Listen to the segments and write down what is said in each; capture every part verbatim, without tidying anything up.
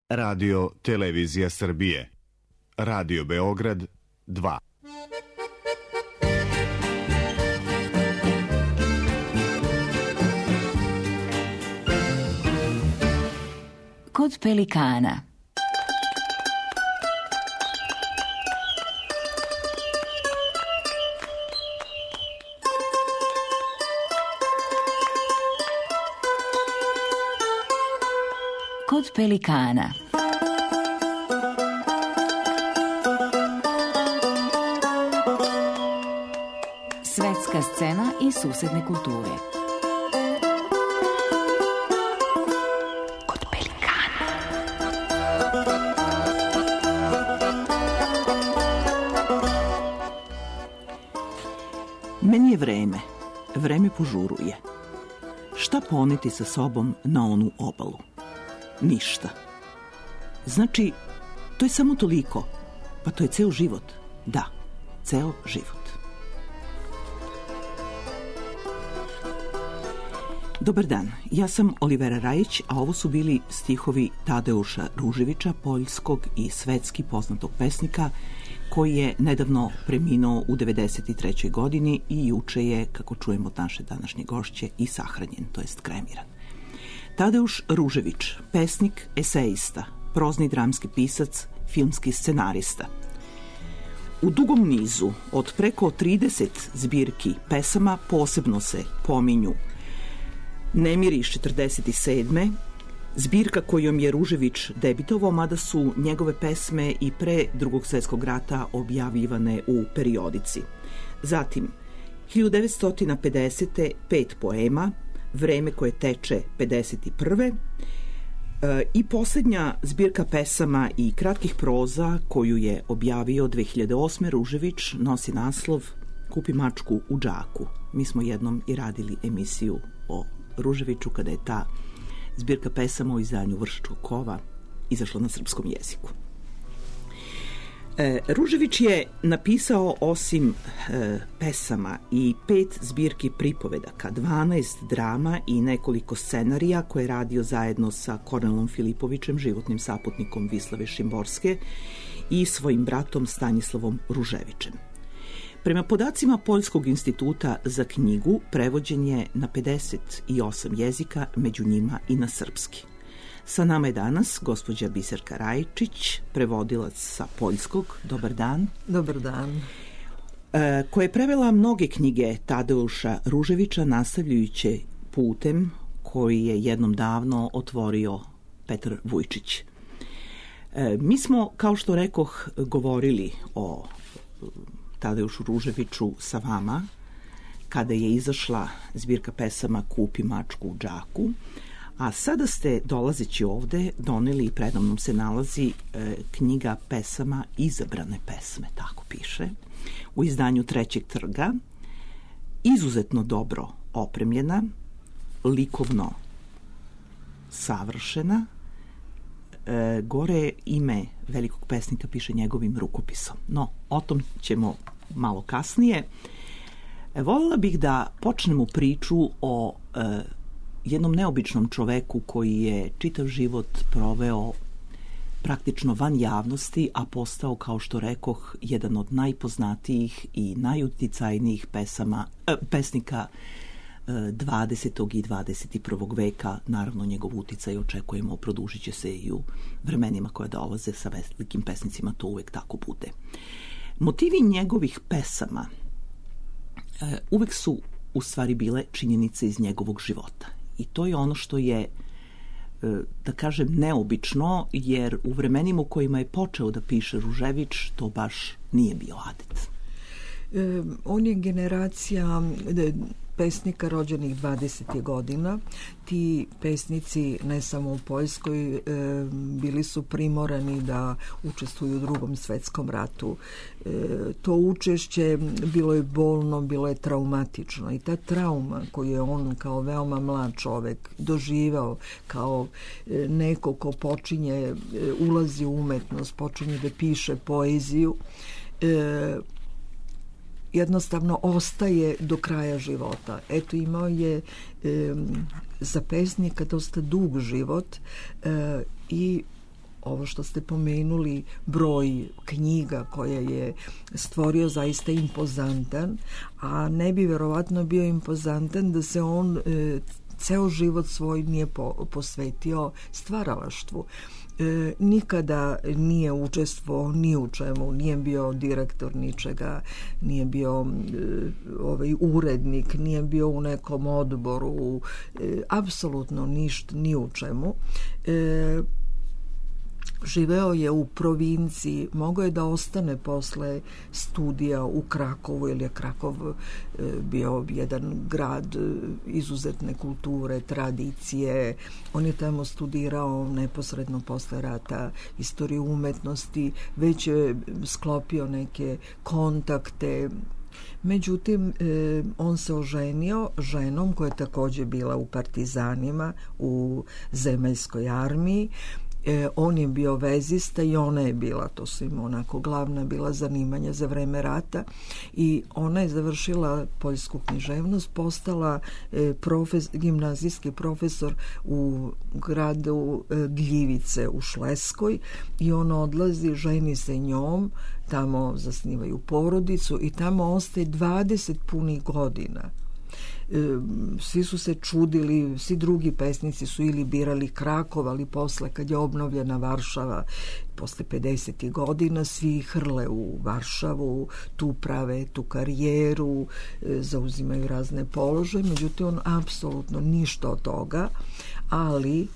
Radio Televizija Srbije. Radio Beograd dva. Kod pelikana. Kod pelikana. Svetska scena i susedne kulture. Kod pelikana. Meni je vreme. Vreme požuruje. Šta poneti sa sobom na onu obalu? Ništa. Znači, to je samo toliko. Pa to je ceo život. Da, ceo život. Dobar dan, ja sam Olivera Rajić, a ovo su bili stihovi Tadeuša Ruževića, poljskog i svetski poznatog pesnika, koji je nedavno preminuo u devedeset trećoj godini i juče je, kako čujemo od naše današnje gošće, i sahranjen, to jest kremiran. Tadeuš Ružević, pesnik, esejista, prozni dramski pisac, filmski scenarista. U dugom nizu od preko trideset zbirki pesama posebno se pominju Nemiri iz četrdeset sedme, zbirka kojom je Ružević debitovao, mada su njegove pesme i pre Drugog svjetskog rata objavljivane u periodici. Zatim, hiljadu devetsto pedesete pet poema, Vreme koje teče pedeset prve. E, i posljednja zbirka pesama i kratkih proza koju je objavio dve hiljade osme. Ružević nosi naslov Kupi mačku u džaku. Mi smo jednom i radili emisiju o Ruževiću kada je ta zbirka pesama u izdanju Vršačkog kova izašla na srpskom jeziku. E, Ružević je napisao osim e, pesama i pet zbirki pripovedaka, dvanaest drama i nekoliko scenarija koje je radio zajedno sa Kornelom Filipovićem, životnim saputnikom Vislave Šimborske, i svojim bratom Stanislavom Ruževićem. Prema podacima Poljskog instituta za knjigu, prevođen je na pedeset osam jezika, među njima i na srpski. Sa nama je danas gospođa Biserka Rajčić, prevodilac sa poljskog. Dobar dan. Dobar dan. E, koja je prevela mnoge knjige Tadeuša Ruževića, nastavljajući putem koji je jednom davno otvorio Petar Vujčić. E, mi smo, kao što rekoh, govorili o Tadeušu Ruževiću sa vama kada je izašla zbirka pesama Kupi mačku u džaku, a sada ste, dolazeći ovde, doneli i predamnom se nalazi e, knjiga pesama Izabrane pesme, tako piše, u izdanju Trećeg trga, izuzetno dobro opremljena, likovno savršena. E, gore ime velikog pesnika piše njegovim rukopisom. No, o tom ćemo malo kasnije. E, voljela bih da počnemo priču o e, jednom neobičnom čoveku koji je čitav život proveo praktično van javnosti, a postao, kao što rekoh, jedan od najpoznatijih i najuticajnijih pesama, e, pesnika dvadesetog i dvadeset prvog veka. Naravno, njegov uticaj očekujemo, produžit će se i u vremenima koja dolaze sa velikim pesnicima, to uvek tako bude. Motivi njegovih pesama e, uvek su u stvari bile činjenice iz njegovog života. I to je ono što je, e, da kažem, neobično, jer u vremenima u kojima je počeo da piše Ružević, to baš nije bio adet. E, on je generacija de, pesnika rođenih dvadesetih godina. Ti pesnici, ne samo u Poljskoj, e, bili su primorani da učestvuju u Drugom svetskom ratu. E, to učešće bilo je bolno, bilo je traumatično, i ta trauma koju je on kao veoma mlad čovek doživao, kao e, neko ko počinje, e, ulazi u umetnost, počinje da piše poeziju, e, jednostavno ostaje do kraja života. Eto, imao je e, za pesnika dosta dug život e, i ovo što ste pomenuli, broj knjiga koje je stvorio zaista impozantan, a ne bi verovatno bio impozantan da se on e, ceo život svoj nije po, posvetio stvaralaštvu. E, nikada nije učestvovao ni u čemu, nije bio direktor ničega, nije bio e, ovaj urednik, nije bio u nekom odboru, e, apsolutno ništa, ni u čemu. E, živeo je u provinciji, mogao je da ostane posle studija u Krakovu, jer je Krakov bio jedan grad izuzetne kulture, tradicije. On je tamo studirao neposredno posle rata istoriju umetnosti, već je sklopio neke kontakte. Međutim, on se oženio ženom koja je također bila u partizanima, u zemaljskoj armiji. E, on je bio vezista i ona je bila, to su im onako glavna bila zanimanja za vreme rata, i ona je završila poljsku književnost, postala e, profes, gimnazijski profesor u gradu e, Gljivice u Šleskoj, i on odlazi, ženi se njom, tamo zasnivaju porodicu i tamo ostaje dvadeset punih godina. Svi su se čudili, svi drugi pesnici su ili birali Krakov, ali posle kad je obnovljena Varšava posle pedesetih godina, svi hrle u Varšavu, tu prave tu karijeru, zauzimaju razne položaje. Međutim, on apsolutno ništa od toga, ali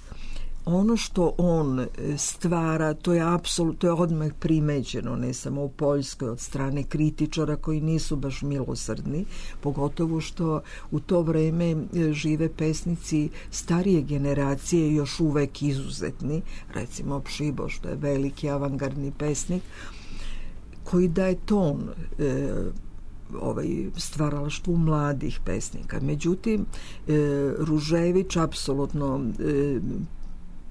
ono što on stvara, to je apsolutno, to je odmah primećeno, ne samo u Poljskoj, od strane kritičara koji nisu baš milosrdni, pogotovo što u to vreme žive pesnici starije generacije još uvek izuzetni, recimo Pšibo, što je veliki avangardni pesnik, koji daje ton e, ovaj stvaralaštvu mladih pesnika. Međutim, e, Ružević apsolutno e,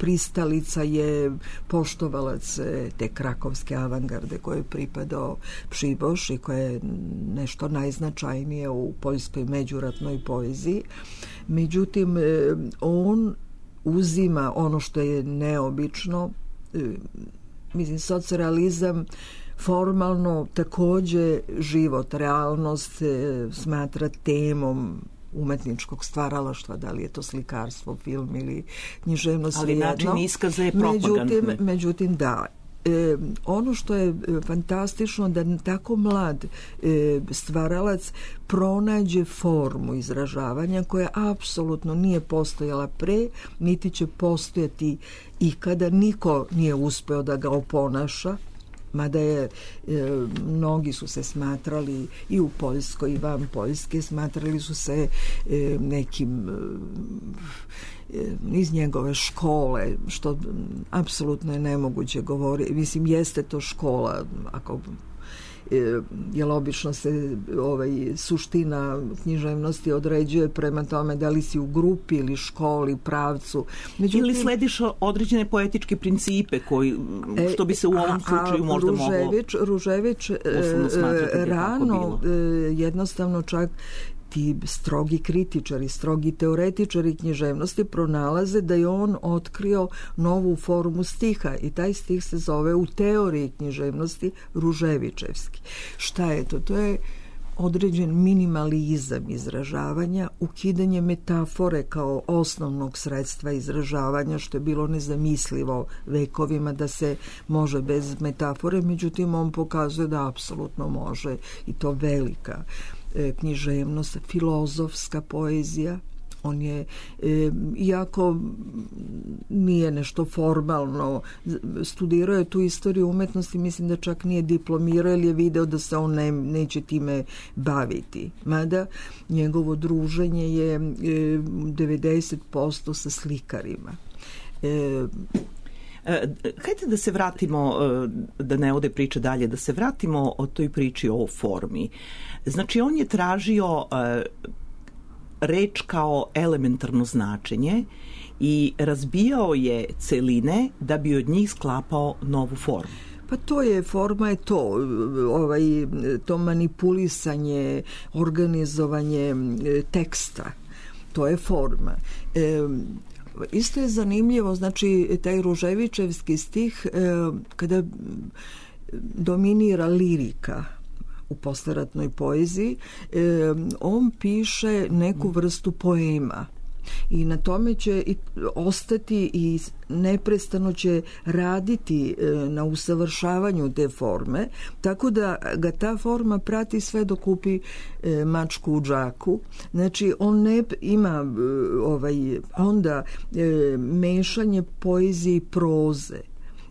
pristalica je, poštovalac te krakovske avangarde koje je pripadao Pšiboš i koje je nešto najznačajnije u poljskoj međuratnoj poeziji. Međutim, on uzima ono što je neobično, mislim, socrealizam formalno također život, realnost smatra temom umetničkog stvaralaštva, da li je to slikarstvo, film ili književnost, ali način iskaza je propagandni. Međutim, međutim da, e, ono što je fantastično da tako mlad e, stvaralac pronađe formu izražavanja koja apsolutno nije postojala pre, niti će postojati ikada, niko nije uspeo da ga oponaša, mada je, e, mnogi su se smatrali i u Poljskoj i van Poljske, smatrali su se e, nekim e, iz njegove škole, što apsolutno je nemoguće govoriti. Mislim, jeste to škola, ako jer obično se ovaj, suština književnosti određuje prema tome da li si u grupi ili školi, pravcu. Međutim, ili slediš određene poetičke principe koji, što bi se u ovom slučaju možda Ružević, moglo Ružević rano jednostavno čak ti strogi kritičari, strogi teoretičari književnosti pronalaze da je on otkrio novu formu stiha i taj stih se zove u teoriji književnosti Ruževićevski. Šta je to? To je određen minimalizam izražavanja, ukidanje metafore kao osnovnog sredstva izražavanja, što je bilo nezamislivo vekovima da se može bez metafore, međutim on pokazuje da apsolutno može, i to velika književnost, filozofska poezija. On je, e, iako nije nešto formalno, studirao je tu istoriju umetnosti, mislim da čak nije diplomirao, jer je video da se on ne, neće time baviti. Mada njegovo druženje je e, devedeset posto sa slikarima. E, Hajde da se vratimo, da ne ode priča dalje, da se vratimo o toj priči o formi. Znači, on je tražio reč kao elementarno značenje i razbijao je celine da bi od njih sklapao novu formu. Pa to je, forma je to, ovaj, to manipulisanje, organizovanje teksta, to je forma. E, isto je zanimljivo, znači taj Ruževićevski stih e, kada dominira lirika u posleratnoj poeziji, e, on piše neku vrstu poema. I na tome će i ostati i neprestano će raditi na usavršavanju te forme, tako da ga ta forma prati sve dok kupi mačku u džaku. Znači on ne ima ovaj, onda mešanje poezije i proze.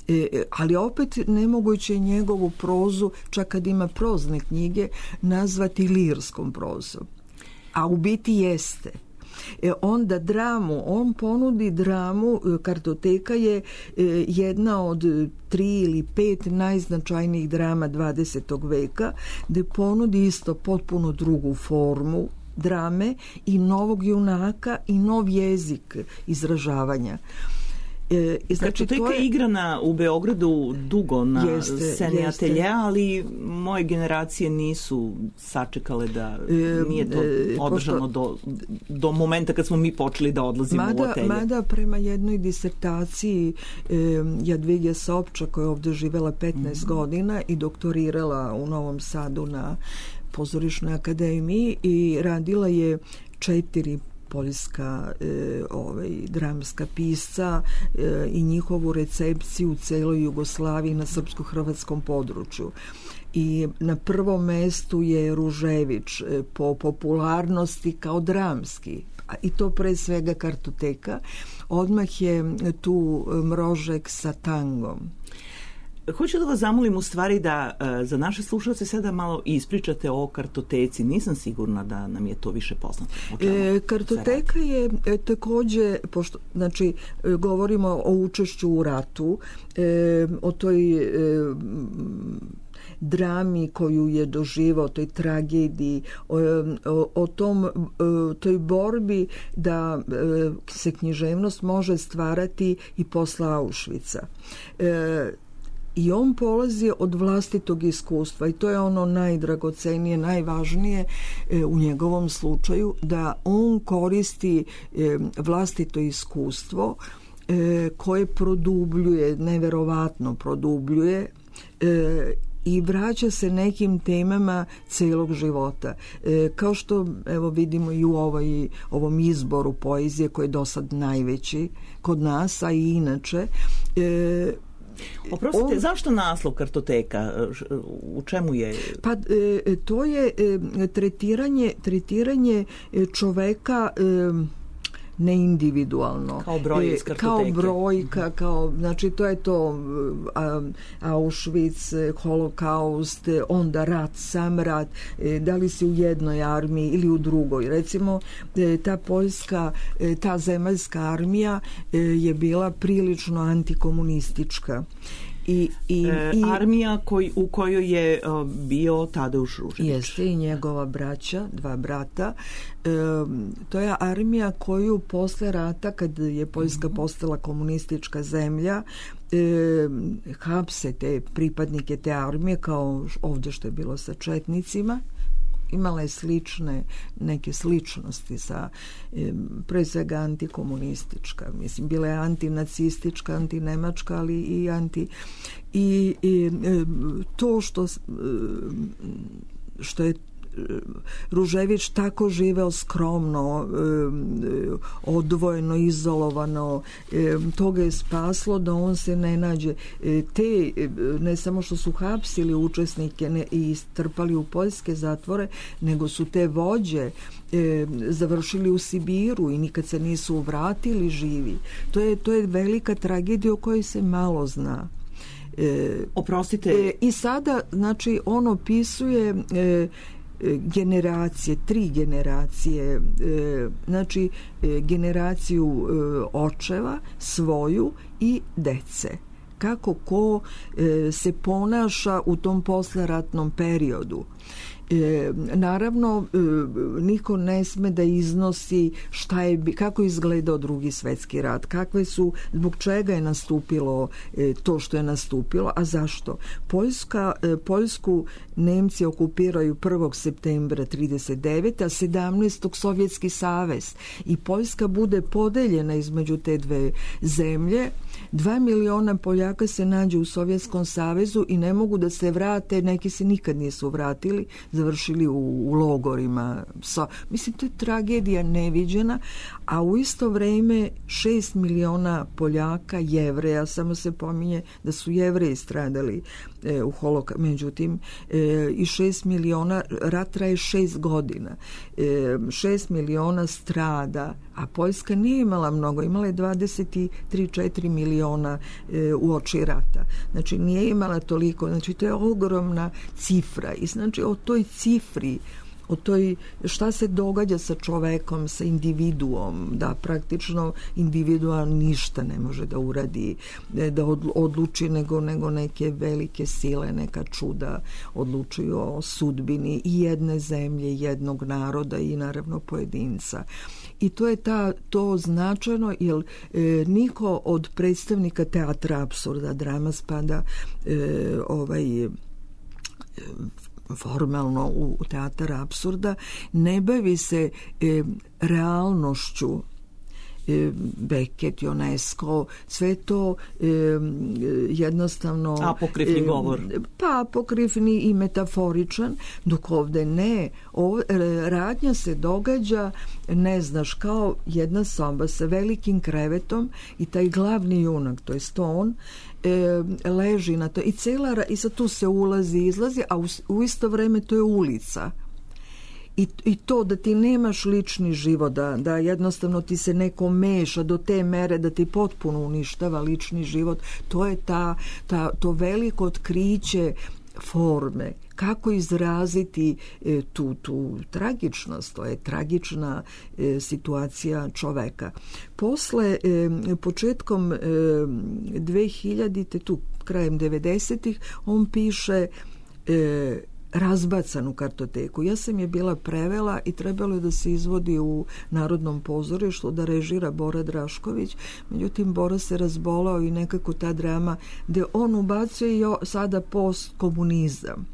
E, ali opet nemoguće njegovu prozu, čak kad ima prozne knjige, nazvati lirskom prozom. A u biti jeste. E, onda dramu, on ponudi dramu, Kartoteka je e, jedna od tri ili pet najznačajnijih drama dvadesetog veka, gde ponudi isto potpuno drugu formu drame i novog junaka i nov jezik izražavanja. E, znači, Kartoteka je igrana u Beogradu dugo na jeste, sceni jeste. Atelje, ali moje generacije nisu sačekale da e, nije to održano do, do momenta kad smo mi počeli da odlazimo mada, u atelje. Mada prema jednoj disertaciji e, Jadvige Sopča, koja je ovde živela petnaest mm-hmm. godina i doktorirala u Novom Sadu na Pozorišnoj akademiji i radila je četiri poljska e, ovaj, dramska pisca e, i njihovu recepciju u celoj Jugoslaviji na srpsko-hrvatskom području. I na prvom mestu je Ružević e, po popularnosti kao dramski, i to pre svega Kartoteka. Odmah je tu Mrožek sa tangom. Hoću da vas zamolim u stvari da uh, za naše slušalce sada malo ispričate o Kartoteci. Nisam sigurna da nam je to više poznato. E, Kartoteka je e, takođe, pošto, znači, e, govorimo o učešću u ratu, e, o toj e, drami koju je doživao, toj tragediji, o, o, o tom, o, toj borbi da e, se književnost može stvarati i posle Auschwitza. E, I on polazi od vlastitog iskustva i to je ono najdragocenije, najvažnije e, u njegovom slučaju, da on koristi e, vlastito iskustvo e, koje produbljuje, neverovatno produbljuje e, i vraća se nekim temama celog života. E, kao što evo vidimo i u ovaj, ovom izboru poezije koji je do sad najveći kod nas, a i inače. E, Oprostite, on, zašto naslov Kartoteka? U čemu je? Pa e, to je e, tretiranje, tretiranje čoveka e, neindividualno. Kao broj iz Kartoteke. Kao brojka, kao, znači to je to a, Auschwitz, holokaust, onda rat, sam rat, e, da li si u jednoj armiji ili u drugoj. Recimo, e, ta poljska, e, ta zemaljska armija e, je bila prilično antikomunistička. I, i, e, i armija koj, u kojoj je uh, bio Tadeuš Ružević. Jeste, i njegova braća, dva brata. E, to je armija koju posle rata, kad je Poljska mm-hmm. postala komunistička zemlja, e, hapse te pripadnike te armije, kao ovdje što je bilo sa četnicima. Imala je slične, neke sličnosti sa, e, pre svega antikomunistička. Mislim, bila je antinacistička, antinemačka, ali i anti... I, i e, to što, e, što je Ružević tako živeo skromno, odvojeno, izolovano, to ga je spaslo da on se ne nađe. Te, ne samo što su hapsili učesnike i strpali u poljske zatvore, nego su te vođe završili u Sibiru i nikad se nisu vratili živi. To je, to je velika tragedija o kojoj se malo zna. Oprostite. I sada, znači, on opisuje generacije, tri generacije, znači generaciju očeva, svoju i dece. Kako ko se ponaša u tom posleratnom periodu. E, naravno, e, niko ne sme da iznosi šta je, kako je izgledao drugi svetski rat, kakve su, zbog čega je nastupilo e, to što je nastupilo, a zašto? Poljska, e, Poljsku Nemci okupiraju prvog septembra trideset devete. a sedamnaestog Sovjetski savez i Poljska bude podeljena između te dve zemlje. Dva miliona Poljaka se nađe u Sovjetskom savezu i ne mogu da se vrate, neki se nikad nisu vratili, završili u, u logorima. So, mislim, to je tragedija neviđena, a u isto vreme šest miliona Poljaka, Jevreja, samo se pominje da su Jevreji stradali e, u holokaustu, međutim, e, i šest miliona, rat traje šest godina, e, šest miliona strada, a Poljska nije imala mnogo, imala je dvadeset tri četiri miliona e, u oči rata. Znači, nije imala toliko, znači, to je ogromna cifra i znači o toj cifri, o toj šta se događa sa čovekom, sa individuom, da praktično individua ništa ne može da uradi, da odluči nego, nego neke velike sile, neka čuda odlučuju o sudbini i jedne zemlje, jednog naroda i naravno pojedinca. I to je ta, to značajno, jer e, niko od predstavnika teatra apsurda, drama spada e, ovaj e, formalno u, u teatar apsurda, ne bavi se e, realnošću. e, Beckett, Ionesco, sve to e, jednostavno apokrifni e, govor. Pa apokrifni i metaforičan, dok ovde ne. Ovo, radnja se događa, ne znaš, kao jedna soba sa velikim krevetom i taj glavni junak, to je on, E, leži na to i cela i sad tu se ulazi i izlazi, a u, u isto vreme to je ulica. I, I to da ti nemaš lični život, da, da jednostavno ti se neko meša do te mere da ti potpuno uništava lični život, to je ta, ta, to veliko otkriće forme, kako izraziti e, tu, tu tragičnost, to je tragična e, situacija čoveka. Posle, e, početkom e, dvehiljadite, tu krajem devedesetih, on piše e, Razbacanu kartoteku. Ja sam je bila prevela i trebalo je da se izvodi u Narodnom pozorištu, da režira Bora Drašković. Međutim, Bora se razbolao i nekako ta drama gde on ubacuje i sada postkomunizam.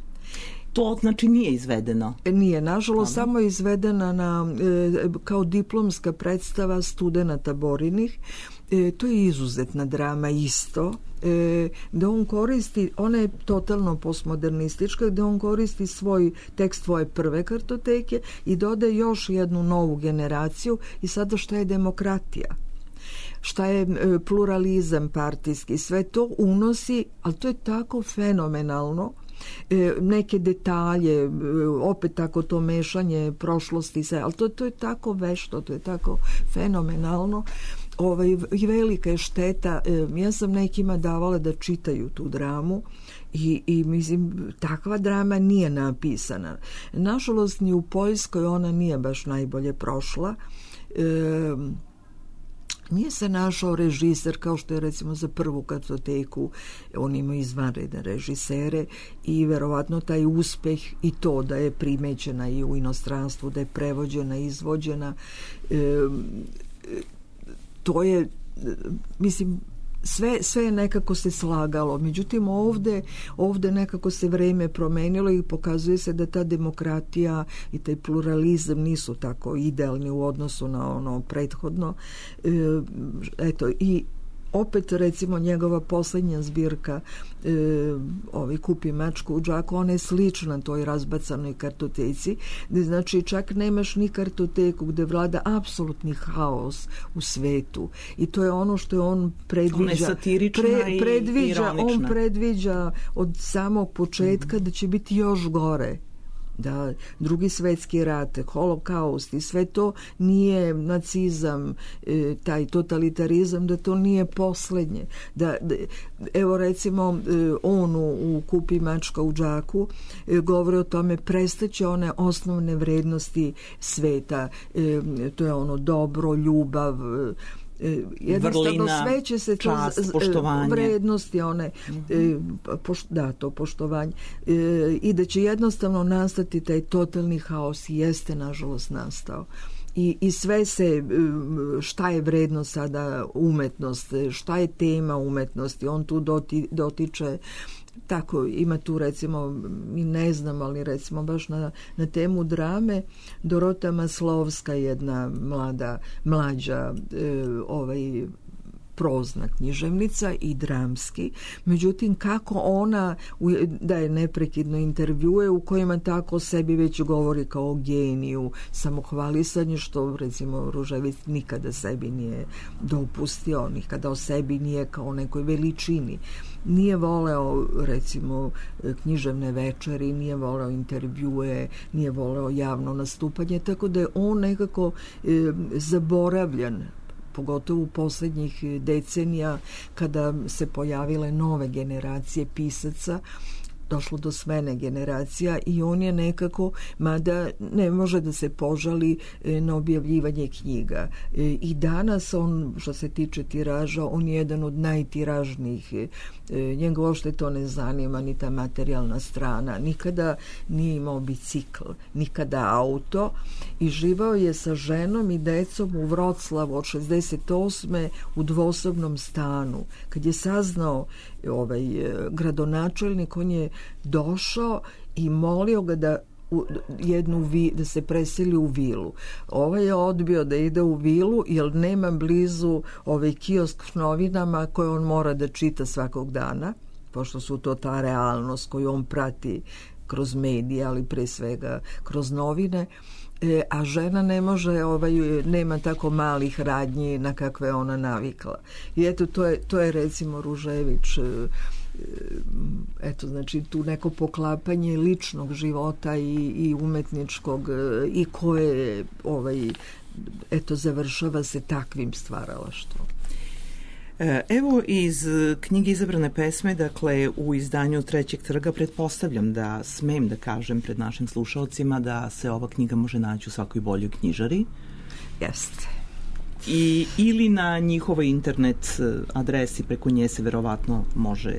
To znači nije izvedeno? Nije, nažalost, Aha. samo je izvedena na, e, kao diplomska predstava studenata Borinih. E, to je izuzetna drama isto, e, da on koristi, ona je totalno postmodernistička, da on koristi svoj tekst svoje prve kartoteke i dodaje još jednu novu generaciju i sada šta je demokratija, šta je e, pluralizam partijski, sve to unosi, ali to je tako fenomenalno. E, neke detalje, e, opet tako to mešanje prošlosti, sve, ali to, to je tako vešto, to je tako fenomenalno. Ovaj, velika je šteta, e, ja sam nekima davala da čitaju tu dramu i, i mislim, takva drama nije napisana. Nažalost, ni u Poljskoj ona nije baš najbolje prošla. E, Nije se našao režiser kao što je recimo za prvu kartoteku, on ima izvanredne režisere i verovatno taj uspeh i to da je primećena i u inostranstvu, da je prevođena, izvođena, e, to je, mislim, sve, sve je nekako se slagalo. Međutim, ovde, ovde nekako se vreme promenilo i pokazuje se da ta demokratija i taj pluralizam nisu tako idealni u odnosu na ono prethodno. E, eto, i opet, recimo, njegova poslednja zbirka e, ovi Kupi mačku u džaku, ona je slična toj razbacanoj kartoteci, gde znači čak nemaš ni kartoteku, gde vlada apsolutni haos u svetu i to je ono što je on predviđa. Ona je satirična pre, predviđa, i ironična. On predviđa od samog početka mm-hmm. da će biti još gore. Da, drugi svetski rat, holokaust i sve to nije nacizam, e, taj totalitarizam, da to nije poslednje. Da, da, evo recimo e, on u, u Kupi mačka u džaku e, govori o tome, prestaće one osnovne vrednosti sveta. E, to je ono dobro, ljubav, jednostavno vrlina, sve će se to čast, z, poštovanje, vrednosti one, mm-hmm. poš, da, to poštovanje, i da će jednostavno nastati taj totalni haos i jeste nažalost nastao. I, i sve se, šta je vredno sada umetnost, šta je tema umetnosti, on tu doti, dotiče, tako, ima tu recimo, mi ne znam, ali recimo baš na, na temu drame, Dorota Maslovska, jedna mlada, mlađa e, ovaj, prozna književnica i dramski, međutim kako ona daje neprekidno intervjue u kojima tako o sebi već govori kao o geniju, samohvalisanje, što recimo Ružević nikada sebi nije dopustio, nikada o sebi nije kao o nekoj veličini. Nije voleo recimo književne večeri, nije voleo intervjue, nije voleo javno nastupanje, tako da je on nekako e, zaboravljan, pogotovo u posljednjih decenija kada se pojavile nove generacije pisaca, došlo do smene generacija i on je nekako, mada ne može da se požali na objavljivanje knjiga. I danas on, što se tiče tiraža, on je jedan od najtiražnijih. Njega uopšte to ne zanima, ni ta materijalna strana. Nikada nije imao bicikl, nikada auto i živao je sa ženom i decom u Vroclavu od šezdeset osme u dvosobnom stanu. Kad je saznao ovaj gradonačelnik, on je došao i molio ga da u jednu vi, da se preseli u vilu. Ovaj je odbio da ide u vilu jer nema blizu ovaj kiosk s novinama koje on mora da čita svakog dana, pošto su to ta realnost koju on prati kroz medije, ali pre svega kroz novine. E, a žena ne može, ovaj, nema tako malih radnji na kakve ona navikla. I eto, to je, to je recimo Ružević, e, eto, znači tu neko poklapanje ličnog života i, i umetničkog e, i koje ovaj, eto, završava se takvim stvaralaštvom. Evo iz knjige Izabrane pesme, dakle u izdanju Trećeg trga, pretpostavljam da smem da kažem pred našim slušalcima da se ova knjiga može naći u svakoj boljoj knjižari. Jeste. I, ili na njihovoj internet adresi, preko nje se verovatno može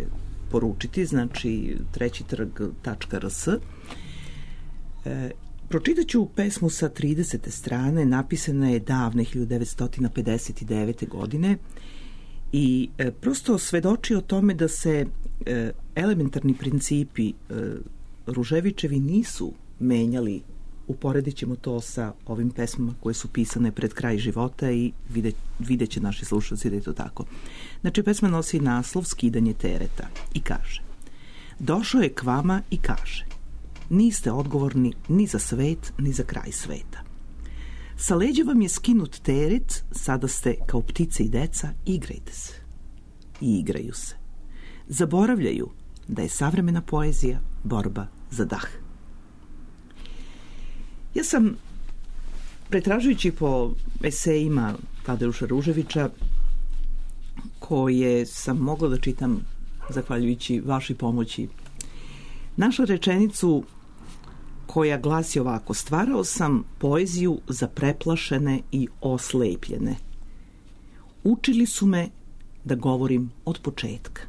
poručiti, znači treći trg tačka r s. E, pročitat ću pesmu sa tridesete strane, napisana je davne hiljadu devetsto pedeset devete. godine i e, prosto svedoči o tome da se e, elementarni principi e, Ruževićevi nisu menjali. Uporedit ćemo to sa ovim pesmama koje su pisane pred kraj života i vidjet, vidjet će naši slušalci da je to tako. Znači, pesma nosi naslov Skidanje tereta i kaže: došao je k vama i kaže: niste odgovorni ni za svet, ni za kraj sveta. Sa leđa vam je skinut teret, sada ste kao ptice i deca, igrajte se. I igraju se. Zaboravljaju da je savremena poezija borba za dah. Ja sam, pretražujući po esejima Tadeuša Ruževića, koje sam mogla da čitam zahvaljujući vašoj pomoći, našla rečenicu koja glasi ovako: stvarao sam poeziju za preplašene i oslepljene. Učili su me da govorim od početka.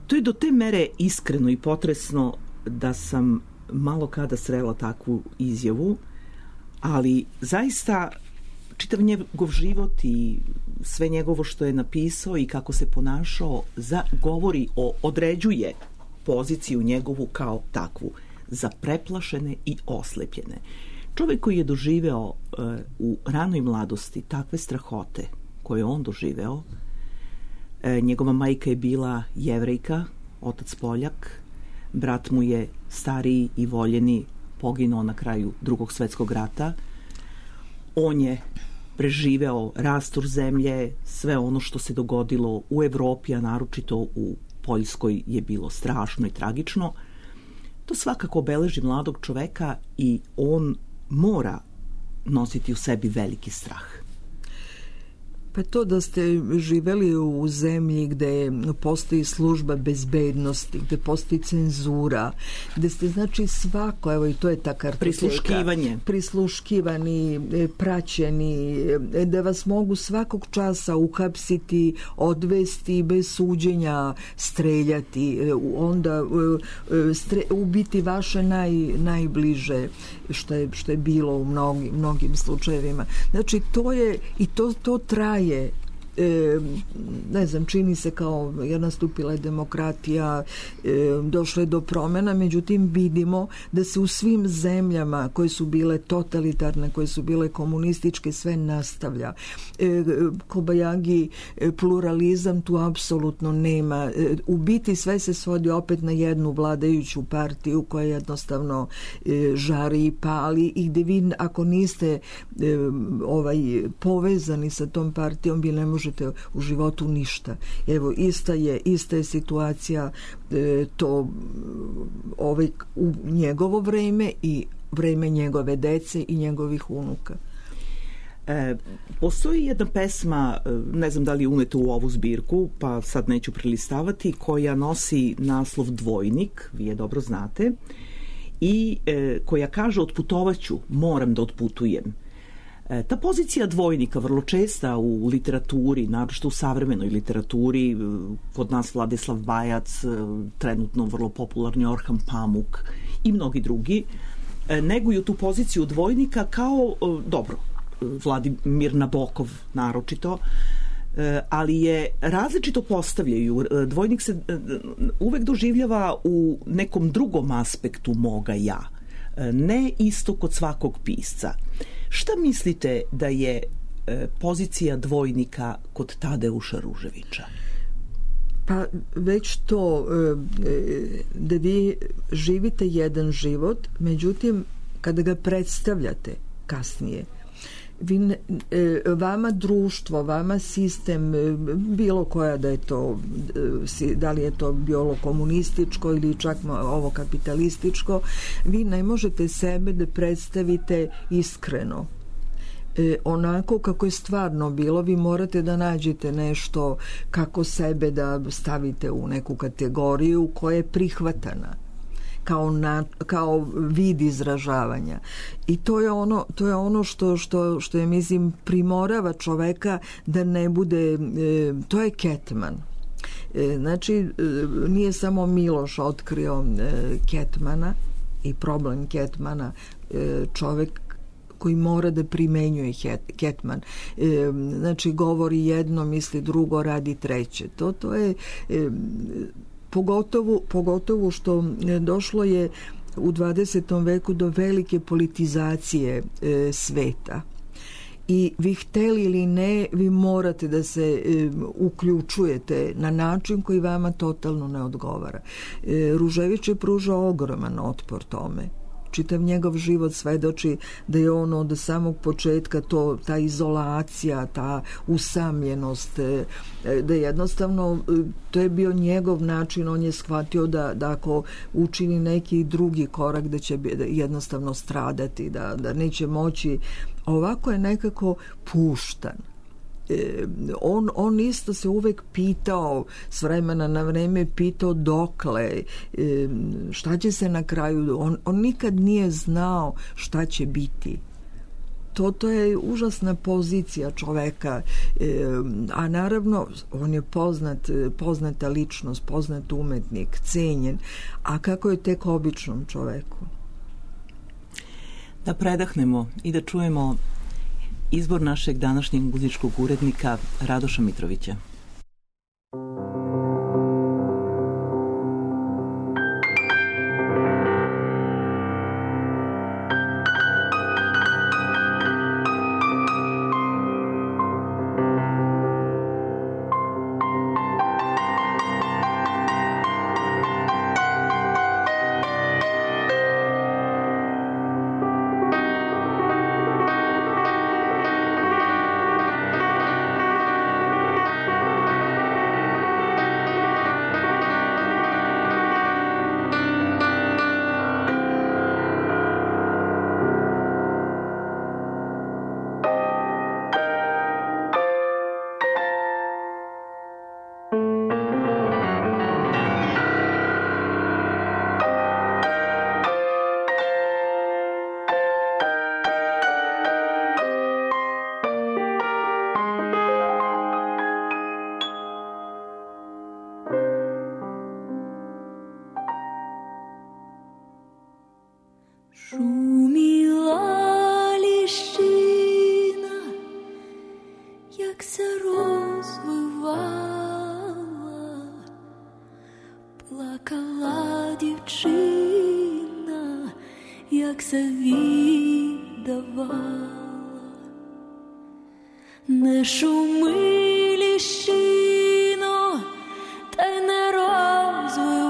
To je do te mere iskreno i potresno da sam malo kada srela takvu izjavu, ali zaista čitav njegov život i sve njegovo što je napisao i kako se ponašao za, govori o, određuje poziciju njegovu kao takvu, za preplašene i oslepljene. Čovjek koji je doživeo e, u ranoj mladosti takve strahote koje je on doživeo, e, njegova majka je bila Jevrejka, otac Poljak, brat mu je stariji i voljeni poginuo na kraju Drugog svjetskog rata. On je preživeo rastur zemlje, sve ono što se dogodilo u Evropi, a naročito u Poljskoj je bilo strašno i tragično. To svakako obeleži mladog čoveka i on mora nositi u sebi veliki strah. Pa to da ste živeli u zemlji gde postoji služba bezbednosti, gde postoji cenzura, gde ste znači svako, evo i to je ta kartoteka. Prisluškivanje. Prisluškivani, praćeni, da vas mogu svakog časa uhapsiti, odvesti bez suđenja, streljati, onda stre, ubiti vaše naj, najbliže, što je, što je bilo u mnogim, mnogim slučajevima. Znači to je, i to, to traje. E, ne znam, čini se kao jer nastupila je demokratija, e, došlo je do promjena, međutim vidimo da se u svim zemljama koje su bile totalitarne, koje su bile komunističke, sve nastavlja. E, Kobajagi, pluralizam tu apsolutno nema. E, u biti sve se svodi opet na jednu vladajuću partiju koja jednostavno e, žari i pali i gde vi ako niste e, ovaj, povezani sa tom partijom, vi ne možete u životu ništa. Evo, ista je, ista je situacija e, to ovaj, u njegovo vreme i vreme njegove dece i njegovih unuka. E, postoji jedna pesma, ne znam da li je uneta u ovu zbirku, pa sad neću prelistavati, koja nosi naslov Dvojnik, vi je dobro znate, i e, koja kaže otputovaću, moram da otputujem. Ta pozicija dvojnika vrlo česta u literaturi, naročito u savremenoj literaturi, kod nas Vladislav Bajac, trenutno vrlo popularni Orhan Pamuk i mnogi drugi, neguju tu poziciju dvojnika kao, dobro, Vladimir Nabokov naročito, ali je različito postavljaju. Dvojnik se uvek doživljava u nekom drugom aspektu moga ja, ne isto kod svakog pisca. Šta mislite da je e, pozicija dvojnika kod Tadeuša Ruževića? Pa već to e, da vi živite jedan život, međutim kada ga predstavljate kasnije, vi ne, e, vama društvo, vama sistem, e, bilo koja da je to, e, da li je to bilo komunističko ili čak ovo kapitalističko, vi ne možete sebe da predstavite iskreno. E, onako kako je stvarno bilo, vi morate da nađete nešto kako sebe da stavite u neku kategoriju koja je prihvatana kao, na, kao vid izražavanja. I to je ono, to je ono što, što, što je, mislim, primorava čoveka da ne bude, e, to je Ketman. E, znači, e, nije samo Miloš otkrio e, Ketmana i problem Ketmana, e, čovek koji mora da primenjuje Ketman. E, znači, govori jedno, misli drugo, radi treće. To, to je e, pogotovo, pogotovo što došlo je u dvadesetom veku do velike politizacije e, sveta. I vi hteli ili ne, vi morate da se e, uključujete na način koji vama totalno ne odgovara. E, Ružević je pružao ogroman otpor tome. Čitav njegov život svedoči da je on od samog početka to, ta izolacija, ta usamljenost, da jednostavno to je bio njegov način, on je shvatio da, da ako učini neki drugi korak da će jednostavno stradati, da, da neće moći. Ovako je nekako puštan. On, on isto se uvek pitao, s vremena na vreme pitao dokle, šta će se na kraju, on, on nikad nije znao šta će biti. To, to je užasna pozicija čoveka, a naravno on je poznat, poznata ličnost, poznat umetnik, cenjen, a kako je tek običnom čoveku. Da predahnemo i da čujemo izbor našeg današnjeg muzičkog urednika Radoša Mitrovića. Thank you. Плакала дівчина, як завідувала. Не шуми, ліщино, та й не розвивайся,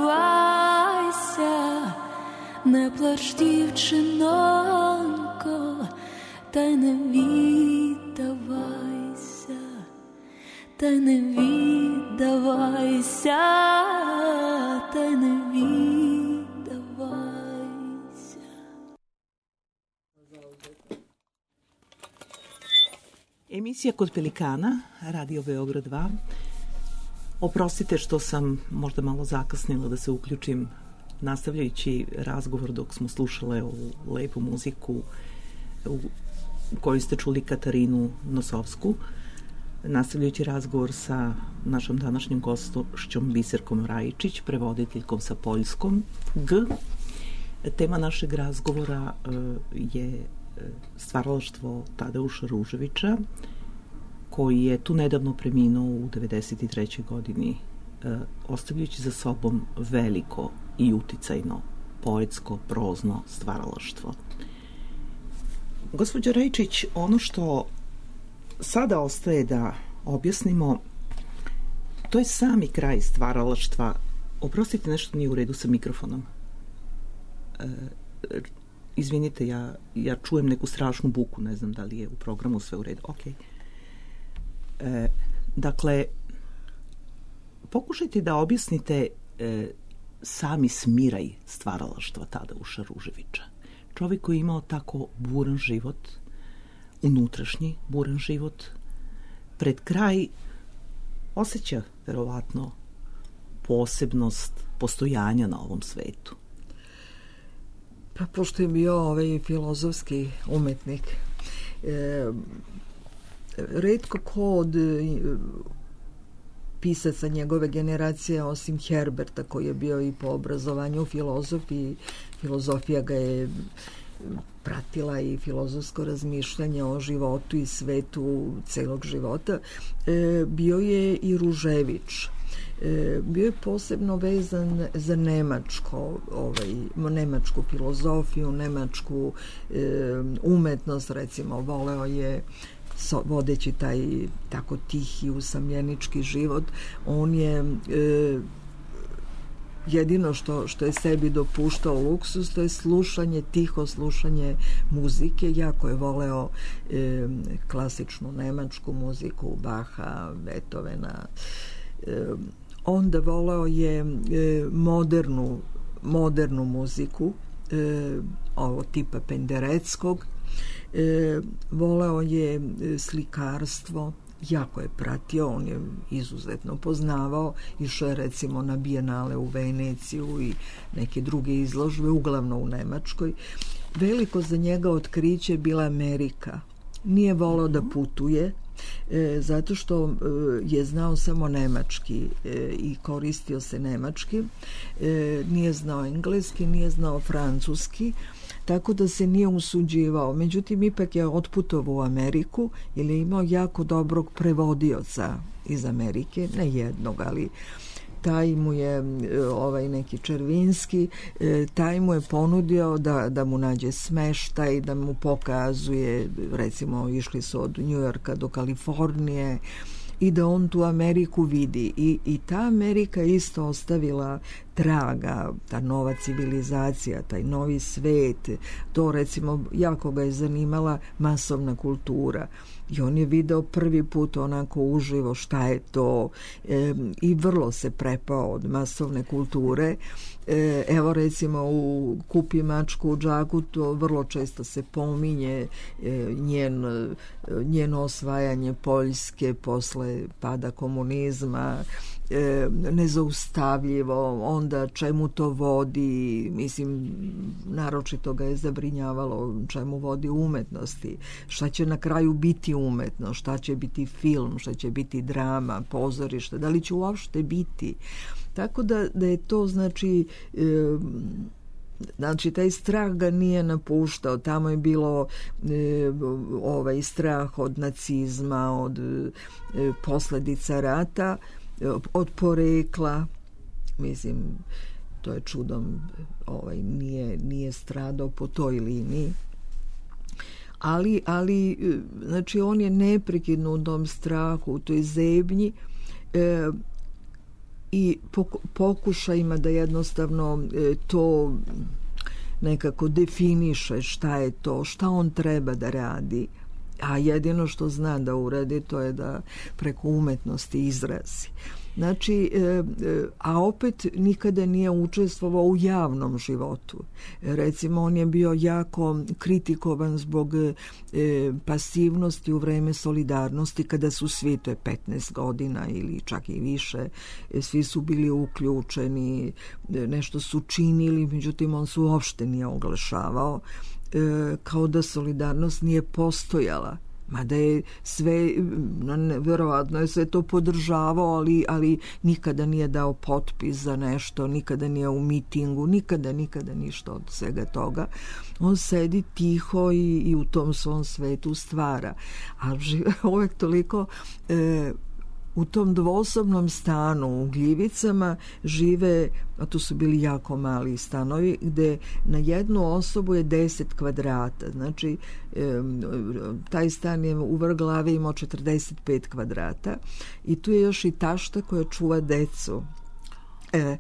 не плач, дівчинонько, та й не віддавайся, та й не віддавайся, та й не віддавайся. Emisija Kod Pelikana, Radio Beograd dva. Oprostite što sam možda malo zakasnila da se uključim nastavljajući razgovor dok smo slušale ovu lepu muziku u kojoj ste čuli Katarinu Nosovsku, nastavljajući razgovor sa našom današnjom gostošćom Biserkom Rajičić, prevoditeljkom sa poljskom G. Tema našeg razgovora je stvaralaštvo Tadeuša Ruževića, koji je tu nedavno preminuo u devedeset trećoj godini, ostavljajući za sobom veliko i uticajno poetsko, prozno stvaralaštvo. Gospođo Rajičić, ono što sada ostaje da objasnimo, to je sami kraj stvaralaštva. Oprostite, nešto nije u redu sa mikrofonom. E, izvinite, ja, ja čujem neku strašnu buku, ne znam da li je u programu sve u redu. Ok. E, dakle, pokušajte da objasnite e, sami smiraj stvaralaštva Tadeuša Ruževića. Čovjek koji je imao tako buran život, unutrašnji buran život, pred kraj osjeća verovatno posebnost postojanja na ovom svetu. Pa pošto je bio ovaj filozofski umetnik, e, retko ko od pisaca njegove generacije, osim Herberta, koji je bio i po obrazovanju filozof, i filozofija ga je pratila, i filozofsko razmišljanje o životu i svetu celog života, e, bio je i Ružević. E, bio je posebno vezan za nemačko, ovaj, nemačku filozofiju, nemačku e, umetnost, recimo, voleo je so, vodeći taj tako tihi, usamljenički život, on je e, jedino što, što je sebi dopuštao luksus, to je slušanje, tiho slušanje muzike. Jako je voleo e, klasičnu nemačku muziku, Baha, Beethovena. E, onda voleo je e, modernu, modernu muziku, e, ovo tipa Pendereckog. E, voleo je slikarstvo, jako je pratio, on je izuzetno poznavao, išao je recimo na bijenale u Veneciju i neke druge izložbe, uglavnom u Nemačkoj. Veliko za njega otkriće je bila Amerika. Nije voleo da putuje, e, zato što e, je znao samo nemački e, i koristio se nemački, e, nije znao engleski, nije znao francuski, tako da se nije usuđivao. Međutim, ipak je otputovao u Ameriku jer je imao jako dobrog prevodioca iz Amerike, ne jednog, ali taj mu je, ovaj neki Červinski, taj mu je ponudio da, da mu nađe smeštaj, da mu pokazuje, recimo išli su od Njujorka do Kalifornije, i da on tu Ameriku vidi. I, i ta Amerika isto ostavila traga, ta nova civilizacija, taj novi svet, to recimo jako ga je zanimala masovna kultura. I on je video prvi put onako uživo šta je to, e, i vrlo se prepao od masovne kulture. E, evo recimo u Kupi mačku u džaku, to vrlo često se pominje, e, njen, njeno osvajanje Poljske posle pada komunizma, e, nezaustavljivo, onda čemu to vodi, mislim, naročito ga je zabrinjavalo čemu vodi umetnosti, šta će na kraju biti umetnost, šta će biti film, šta će biti drama, pozorište, da li će uopšte biti. Tako da, da je to, znači, e, znači taj strah ga nije napuštao. Tamo je bilo e, ovaj strah od nacizma, od e, posledica rata, od porekla, mislim, to je čudom, ovaj, nije, nije stradao po toj liniji. Ali, ali, znači, on je neprekidno u tom strahu, u toj zebnji e, i pokušajima da jednostavno e, to nekako definiše šta je to, šta on treba da radi, a jedino što zna da uradi to je da preko umetnosti izrazi. Znači, a opet nikada nije učestvovao u javnom životu. Recimo, on je bio jako kritikovan zbog pasivnosti u vreme solidarnosti, kada su svi, to je petnaest godina ili čak i više, svi su bili uključeni, nešto su činili, međutim on se uopšte nije oglašavao, kao da solidarnost nije postojala. Mada je sve, verovatno je sve to podržavao, ali, ali nikada nije dao potpis za nešto, nikada nije u mitingu, nikada, nikada ništa od svega toga. On sedi tiho i, i u tom svom svetu stvara. A žive uvek toliko... E, u tom dvosobnom stanu u Gljivicama žive, a to su bili jako mali stanovi, gde na jednu osobu je deset kvadrata. Znači, taj stan je u vrh glave imao četrdeset pet kvadrata i tu je još i tašta koja čuva decu. E,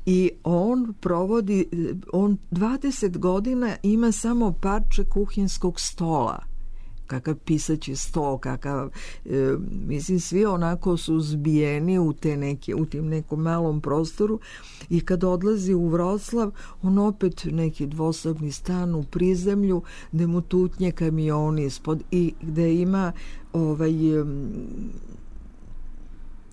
I on provodi, on dvadeset godina ima samo parče kuhinskog stola. Kakav pisaći sto, kakav, e, mislim, svi onako su zbijeni u, te neke, u tim nekom malom prostoru i kad odlazi u Vroclav, on opet neki dvosobni stan u prizemlju, gde mu tutnje kamioni ispod i gde ima ovaj...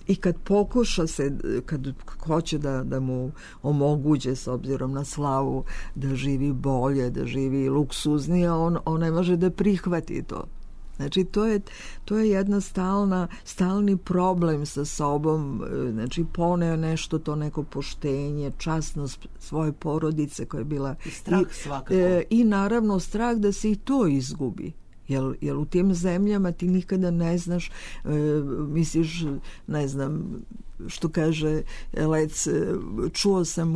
I kad pokuša se, kad hoće da, da mu omoguće s obzirom na slavu da živi bolje, da živi luksuznije, on, on ne može da prihvati to. Znači, to je, to je jedna stalna, stalni problem sa sobom. Znači, poneo nešto, to neko poštenje, časnost svoje porodice koja je bila... I strah svakako. I, i naravno strah da se i to izgubi. Jer, jer u tim zemljama ti nikada ne znaš, e, misliš, ne znam, što kaže Lec, čuo sam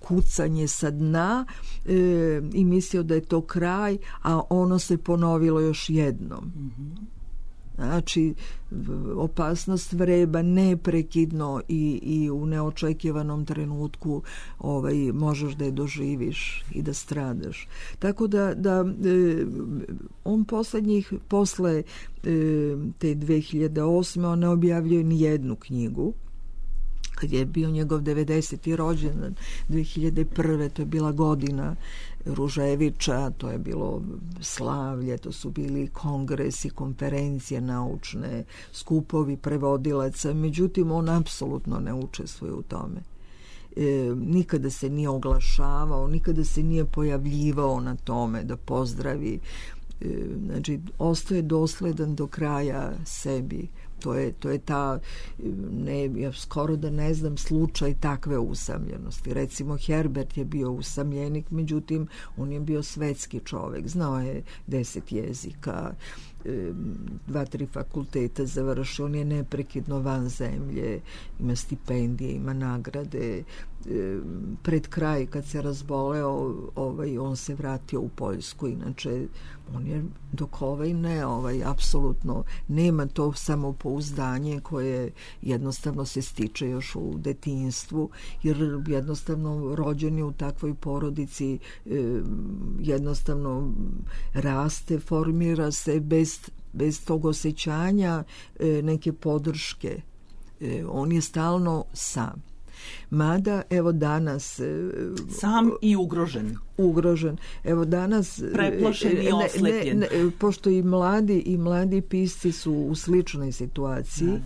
kucanje sa dna e, i mislio da je to kraj, a ono se ponovilo još jednom. Mm-hmm. Znači, opasnost vreba neprekidno i, i u neočekivanom trenutku ovaj, možeš da je doživiš i da stradaš. Tako da, da e, on poslednjih, posle e, te dve hiljade osme on ne objavljuje ni jednu knjigu. Kad je bio njegov devedeseti rođendan, dve hiljade prve, to je bila godina Ruževića, to je bilo slavlje, to su bili kongresi, konferencije naučne, skupovi prevodilaca, međutim on apsolutno ne učestvuje u tome. E, nikada se nije oglašavao, nikada se nije pojavljivao na tome da pozdravi. E, znači, ostaje dosledan do kraja sebi. To je, to je ta, ne, ja skoro da ne znam slučaj takve usamljenosti. Recimo, Herbert je bio usamljenik, međutim, on je bio svetski čovek. Znao je deset jezika, dva, tri fakulteta završio, on je neprekidno van zemlje, ima stipendije, ima nagrade. Pred kraj, kad se razboleo, ovaj, on se vratio u Poljsku, inače on je dok ovaj ne, ovaj, apsolutno nema to samopouzdanje koje jednostavno se stiče još u detinjstvu, jer jednostavno rođeni u takvoj porodici jednostavno raste, formira se bez, bez tog osjećanja neke podrške. On je stalno sam. Mada, evo danas... Sam i ugrožen. Ugrožen. Evo danas... Preplašen i oslepljen. Ne, ne, pošto i mladi, i mladi pisci su u sličnoj situaciji,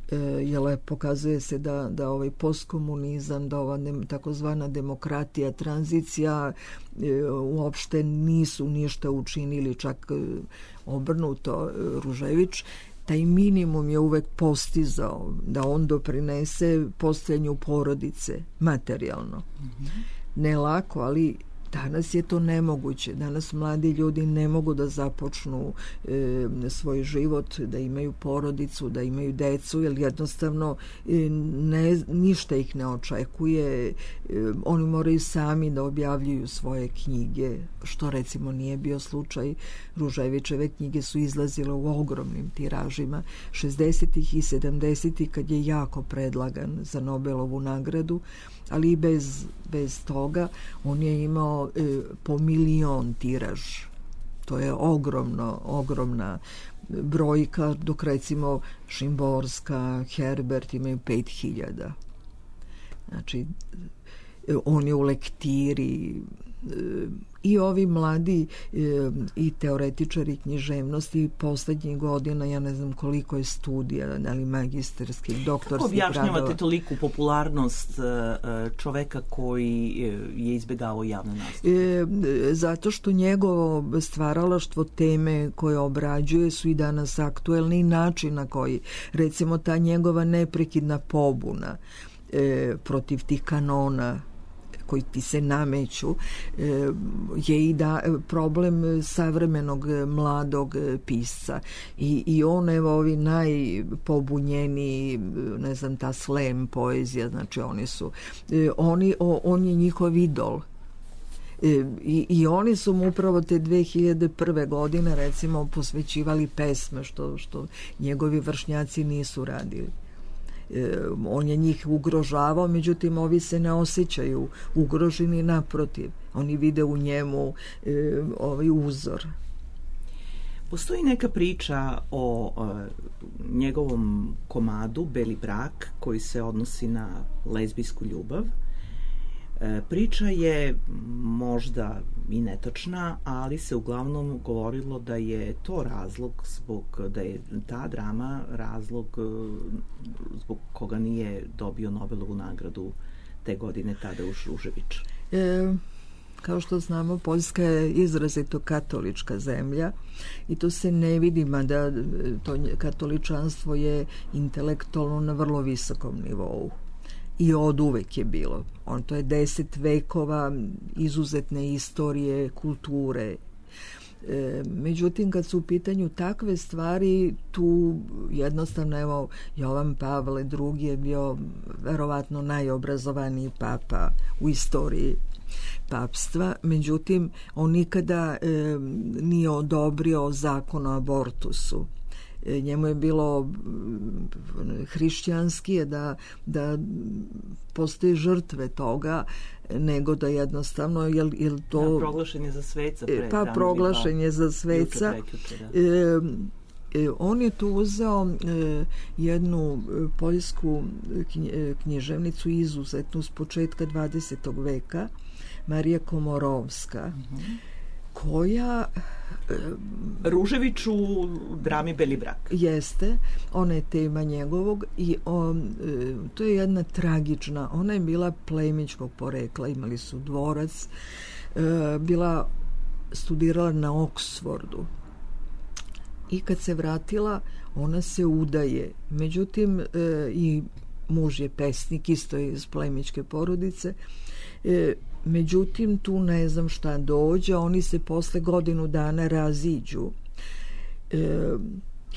da. Jel, pokazuje se da, da ovaj postkomunizam, da ova ne, takozvana demokratija, tranzicija uopšte nisu ništa učinili, čak obrnuto. Ružević taj minimum je uvek postizao da on doprinese postojanju porodice materijalno. Mm-hmm. Ne lako, ali Danas je to nemoguće. Danas mladi ljudi ne mogu da započnu e, svoj život, da imaju porodicu, da imaju decu, jer jednostavno e, ne, ništa ih ne očekuje. E, oni moraju sami da objavljuju svoje knjige, što recimo nije bio slučaj. Ruževićeve knjige su izlazile u ogromnim tiražima šezdesetih i sedamdesetih kad je jako predlagan za Nobelovu nagradu, ali i bez, bez toga on je imao e, po milion tiraž. To je ogromno, ogromna brojka, dok recimo Šimborska, Herbert imaju pet hiljada. Znači, e, on je u lektiri, e, i ovi mladi e, i teoretičari književnosti poslednjih godina, ja ne znam koliko je studija, ali magistarskih, doktorskih radova. Kako objašnjavate toliku popularnost čoveka koji je izbegavao javne nastupe? E, zato što njegovo stvaralaštvo, teme koje obrađuje su i danas aktuelni, način na koji, recimo ta njegova neprekidna pobuna e, protiv tih kanona koji ti se nameću, je i da problem savremenog mladog pisca. I, i on, evo, ovi najpobunjeniji, ne znam, ta slam poezija, znači oni su, oni, on je njihov idol. I, i oni su mu upravo te dve hiljade prve godine, recimo, posvećivali pesme, što, što njegovi vršnjaci nisu radili. On je njih ugrožavao, međutim ovi se ne osjećaju ugroženi, naprotiv, oni vide u njemu e, ovaj uzor. Postoji neka priča o e, njegovom komadu Beli brak koji se odnosi na lezbijsku ljubav. E, priča je možda i netačna, ali se uglavnom govorilo da je to razlog zbog, da je ta drama razlog zbog koga nije dobio Nobelovu nagradu te godine Tadeuš Ružević. E, kao što znamo, Poljska je izrazito katolička zemlja i to se ne vidi, mada to katoličanstvo je intelektualno na vrlo visokom nivou. I od uvek je bilo. On, to je deset vekova izuzetne istorije, kulture. E, međutim, kad su u pitanju takve stvari, tu jednostavno, evo, Jovan Pavle drugi je bio verovatno najobrazovaniji papa u istoriji papstva, međutim, on nikada e, nije odobrio zakon o abortusu. Njemu je bilo hrišćanski da, da postoje žrtve toga, nego da jednostavno jel, jel to... Da, proglašen je za sveca. Pre, pa proglašen je za sveca. E, e, on je tu uzeo e, jednu poljsku književnicu izuzetnu s početka dvadesetog veka, Marija Komorovska, uh-huh. koja... Ružević u drami Beli brak. Jeste, ona je tema njegovog i on, to je jedna tragična, ona je bila plemićkog porekla, imali su dvorac, bila studirala na Oksfordu i kad se vratila ona se udaje, međutim i muž je pesnik, isto je iz plemićke porodice. Međutim, tu ne znam šta dođe, oni se posle godinu dana raziđu. E,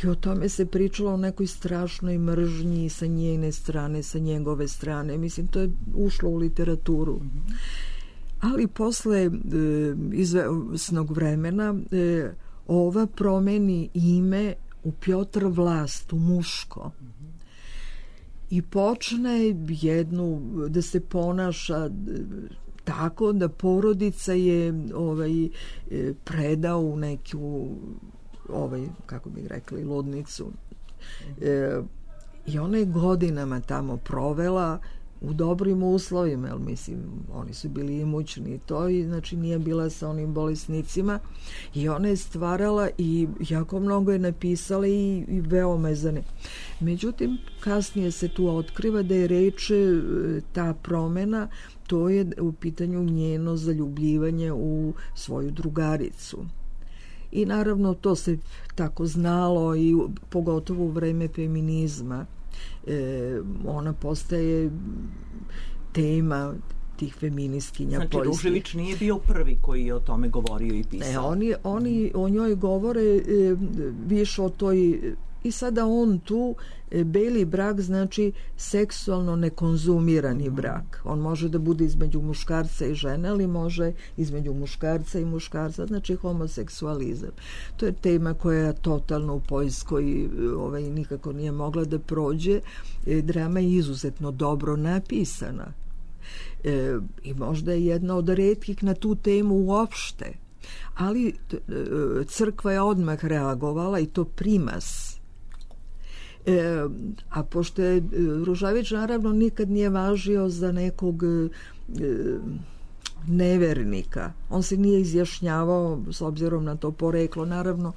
I o tome se pričalo o nekoj strašnoj mržnji sa njene strane, sa njegove strane. Mislim, to je ušlo u literaturu. Mm-hmm. Ali posle e, izvesnog vremena e, ova promeni ime u Pjotr Vlast, u muško. Mm-hmm. I počne jednu, da se ponaša tako da porodica je ovaj predao u neku ovaj, kako bih rekli, ludnicu. E, I ona je godinama tamo provela u dobrim uslovima, jer mislim, oni su bili imućni to i znači nije bila sa onim bolesnicima i ona je stvarala i jako mnogo je napisala i, i veoma je zane. Međutim, kasnije se tu otkriva da je reč ta promena, to je u pitanju njeno zaljubljivanje u svoju drugaricu. I naravno to se tako znalo i pogotovo u vreme feminizma. E, ona postaje tema tih feministkinja znači, poljskih. Znači, Ružević nije bio prvi koji je o tome govorio i pisao. Ne, oni, oni o njoj govore e, više o toj... I sada on tu, e, beli brak znači seksualno nekonzumirani mm. brak. On može da bude između muškarca i žene, ali može između muškarca i muškarca, znači homoseksualizam. To je tema koja totalno u Poljskoj ovaj, nikako nije mogla da prođe. E, drama je izuzetno dobro napisana. E, I možda je jedna od retkih na tu temu uopšte. Ali crkva je odmah reagovala i to primas. E, a pošto je Ružavić naravno nikad nije važio za nekog e, nevernika, on se nije izjašnjavao s obzirom na to poreklo. Naravno,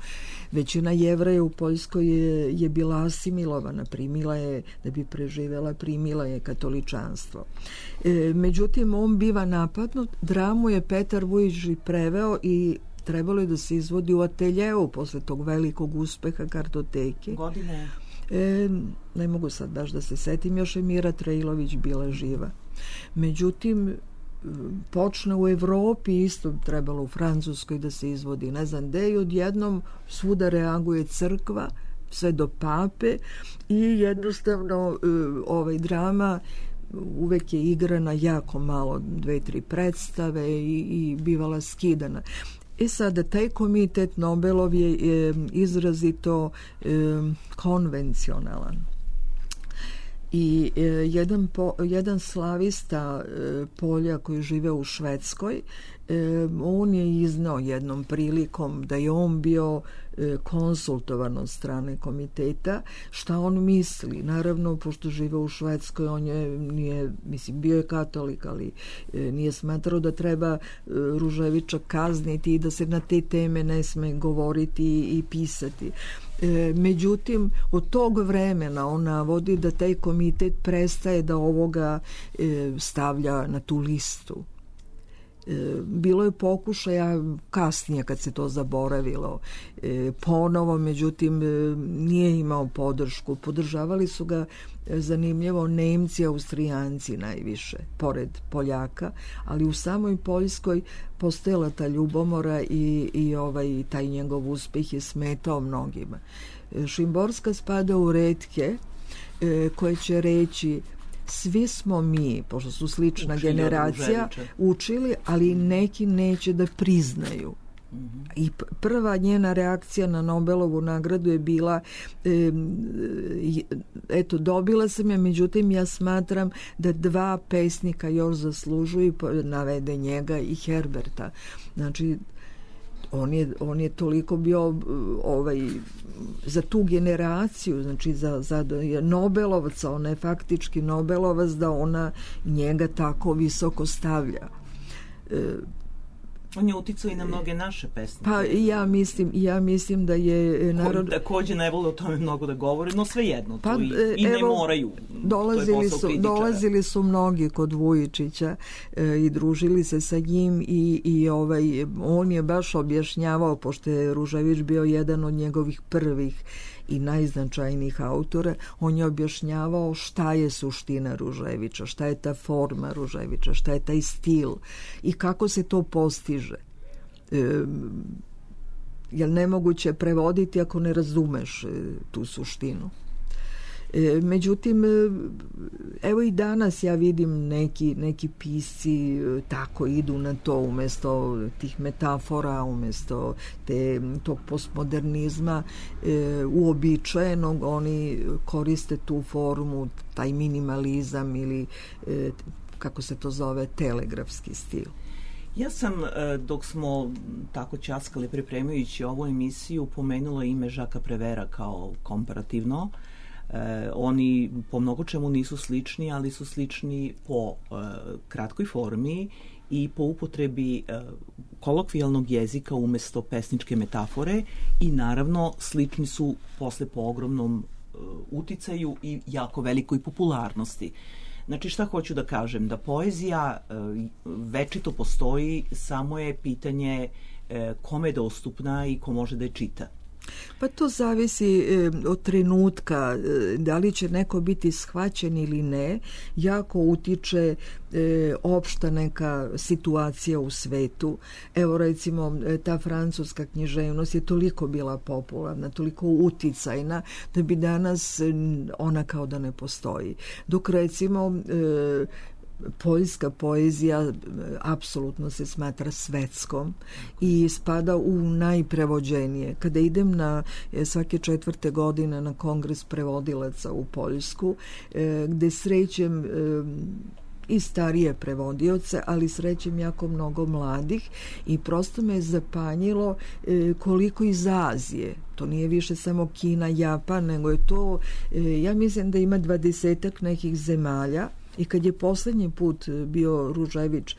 većina Jevreja u Poljskoj je, je bila asimilovana, primila je, da bi preživela, primila je katoličanstvo. E, međutim, on biva napadnut, dramu je Petar Vujić preveo i trebalo je da se izvodi u ateljeu posle tog velikog uspeha kartoteke. Godine? E, ne mogu sad baš da se setim, još je Mira Trejlović bila živa. Međutim, počne u Evropi, isto trebalo u Francuskoj da se izvodi, ne znam gde, i odjednom svuda reaguje crkva, sve do pape, i jednostavno ovaj drama uvek je igrana jako malo, dve, tri predstave i, i bivala skidana. I sada taj komitet Nobelov je e, izrazito e, konvencionalan. I e, jedan, po, jedan slavista e, Polja koji žive u Švedskoj, e, on je iznao jednom prilikom da je on bio e, konsultovan od strane komiteta šta on misli. Naravno, pošto žive u Švedskoj, on je, nije, mislim, bio je katolik, ali e, nije smatrao da treba e, Ruževića kazniti i da se na te teme ne sme govoriti i, i pisati. E, međutim, od tog vremena on navodi da taj komitet prestaje da ovoga e, stavlja na tu listu. E, bilo je pokušaja kasnije kad se to zaboravilo e, ponovo, međutim e, nije imao podršku. Podržavali su ga e, zanimljivo Nemci, Austrijanci najviše, pored Poljaka, ali u samoj Poljskoj postojala ta ljubomora i, i ovaj, taj njegov uspeh je smetao mnogima. E, Šimborska spada u retke e, koje će reći svi smo mi, pošto su slična učili generacija, učili, ali neki neće da priznaju. Mm-hmm. I prva njena reakcija na Nobelovu nagradu je bila e, eto, dobila sam je, međutim ja smatram da dva pesnika još zaslužuju, navede njega i Herberta. Znači, On je, on je toliko bio ovaj, za tu generaciju, znači za, za Nobelovaca, ona je faktički Nobelovac, da ona njega tako visoko stavlja. E, On je uticao i na mnoge naše pesnike. Pa ja mislim, ja mislim da je narod... Koji takođe ne vole o tome mnogo da govore, no svejedno, pa, i, i evo, ne moraju. Dolazili su, dolazili su mnogi kod Vujičića e, i družili se sa njim i, i ovaj, on je baš objašnjavao, pošto je Ružević bio jedan od njegovih prvih i najznačajnijih autora, on je objašnjavao šta je suština Ruževića, šta je ta forma Ruževića, šta je taj stil i kako se to postiže. E, jer nemoguće prevoditi ako ne razumeš e, tu suštinu. E, međutim, evo i danas ja vidim neki, neki pisci tako idu na to, umesto tih metafora, umesto te, tog postmodernizma e, uobičajenog, oni koriste tu formu, taj minimalizam ili e, kako se to zove, telegrafski stil. Ja sam, dok smo tako ćaskali pripremajući ovu emisiju, pomenula ime Žaka Prevera kao komparativno. E, oni po mnogo čemu nisu slični, ali su slični po e, kratkoj formi i po upotrebi e, kolokvijalnog jezika umesto pesničke metafore i naravno slični su posle po ogromnom e, uticaju i jako velikoj popularnosti. Znači, šta hoću da kažem? Da poezija e, večito postoji, samo je pitanje e, kome je dostupna i ko može da je čita. Pa to zavisi e, od trenutka, e, da li će neko biti shvaćen ili ne, jako utiče e, opšta neka situacija u svetu. Evo recimo e, ta francuska književnost je toliko bila popularna, toliko uticajna da bi danas e, ona kao da ne postoji. Dok recimo e, poljska poezija apsolutno se smatra svetskom i spada u najprevođenije. Kada idem na svake četvrte godine na kongres prevodilaca u Poljsku, gde srećem i starije prevodioce, ali srećem jako mnogo mladih i prosto me je zapanjilo koliko iz Azije, to nije više samo Kina, Japan, nego je to, ja mislim da ima dvadesetak nekih zemalja. I kad je poslednji put bio Ružević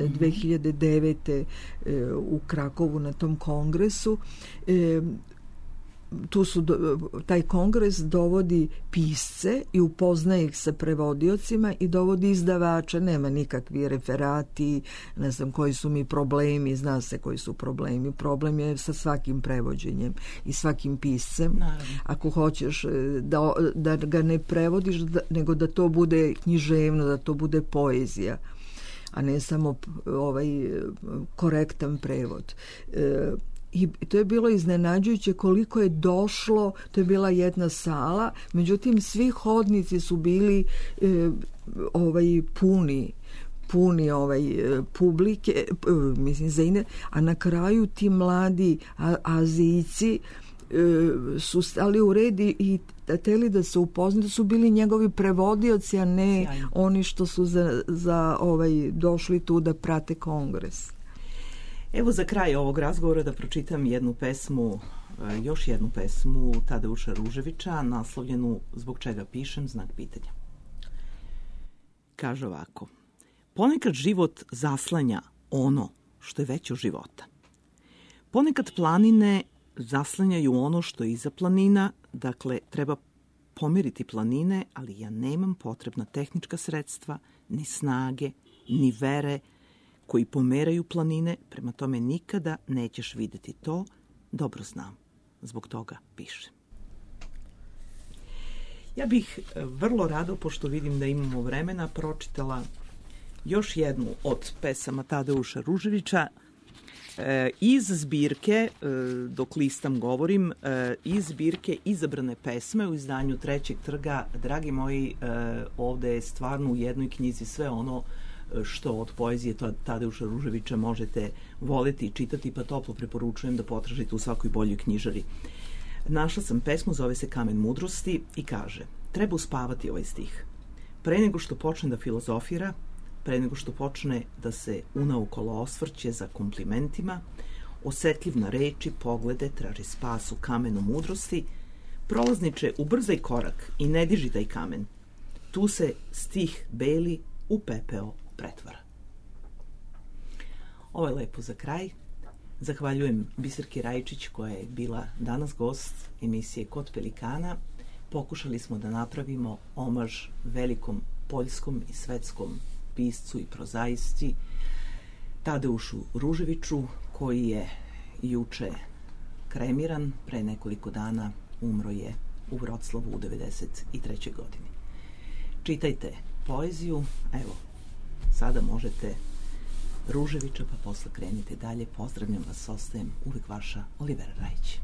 dve hiljade devete. u Krakovu na tom kongresu, tu su, taj kongres dovodi pisce i upoznaje ih sa prevodiocima i dovodi izdavača, nema nikakvi referati, ne znam koji su mi problemi, zna se koji su problemi. Problem je sa svakim prevođenjem i svakim piscem. Naravno. Ako hoćeš da, da ga ne prevodiš, da, nego da to bude književno, da to bude poezija, a ne samo ovaj korektan prevod. E, I to je bilo iznenađujuće koliko je došlo, to je bila jedna sala, međutim svi hodnici su bili e, ovaj puni puni ovaj publike, e, mislim zaine, a na kraju ti mladi a, Azijci e, su stali u red i hteli da se upoznaju, da su bili njegovi prevodioci, a ne Sjajno. Oni što su za, za ovaj došli tu da prate kongres. Evo za kraj ovog razgovora da pročitam jednu pesmu, još jednu pesmu Tadeuša Ruževića, naslovljenu Zbog čega pišem, znak pitanja. Kaže ovako: ponekad život zaslanja ono što je veće od života. Ponekad planine zaslanjaju ono što je iza planina, dakle treba pomiriti planine, ali ja nemam potrebna tehnička sredstva, ni snage, ni vere, koji pomeraju planine, prema tome nikada nećeš videti to, dobro znam, zbog toga pišem. Ja bih vrlo rado, pošto vidim da imamo vremena, pročitala još jednu od pesama Tadeuša Ruževića e, iz zbirke, e, dok listam govorim, e, iz zbirke Izabrane pesme u izdanju Trećeg trga. Dragi moji, e, ovde je stvarno u jednoj knjizi sve ono što od poezije Tadeuša Ruževića možete voleti i čitati, pa toplo preporučujem da potražite u svakoj boljoj knjižari. Našla sam pesmu, zove se Kamen mudrosti i kaže: treba uspavati ovaj stih. Pre nego što počne da filozofira, pre nego što počne da se unaokolo osvrće za komplimentima, osetljiv na reči, poglede, traži spas u kamenu mudrosti, prolazniče, ubrzaj korak i ne diži taj kamen. Tu se stih beli u pepeo pretvara. Ovo je lepo za kraj. Zahvaljujem Biserki Rajičić koja je bila danas gost emisije Kod pelikana. Pokušali smo da napravimo omaž velikom poljskom i svetskom piscu i prozaisci Tadeušu Ruževiću, koji je juče kremiran, pre nekoliko dana umro je u Vroclavu u devedeset trećoj godini. Čitajte poeziju, evo, sada možete Ruževića, pa posle krenite dalje. Pozdravljam vas, ostajem uvek vaša Olivera Rajić.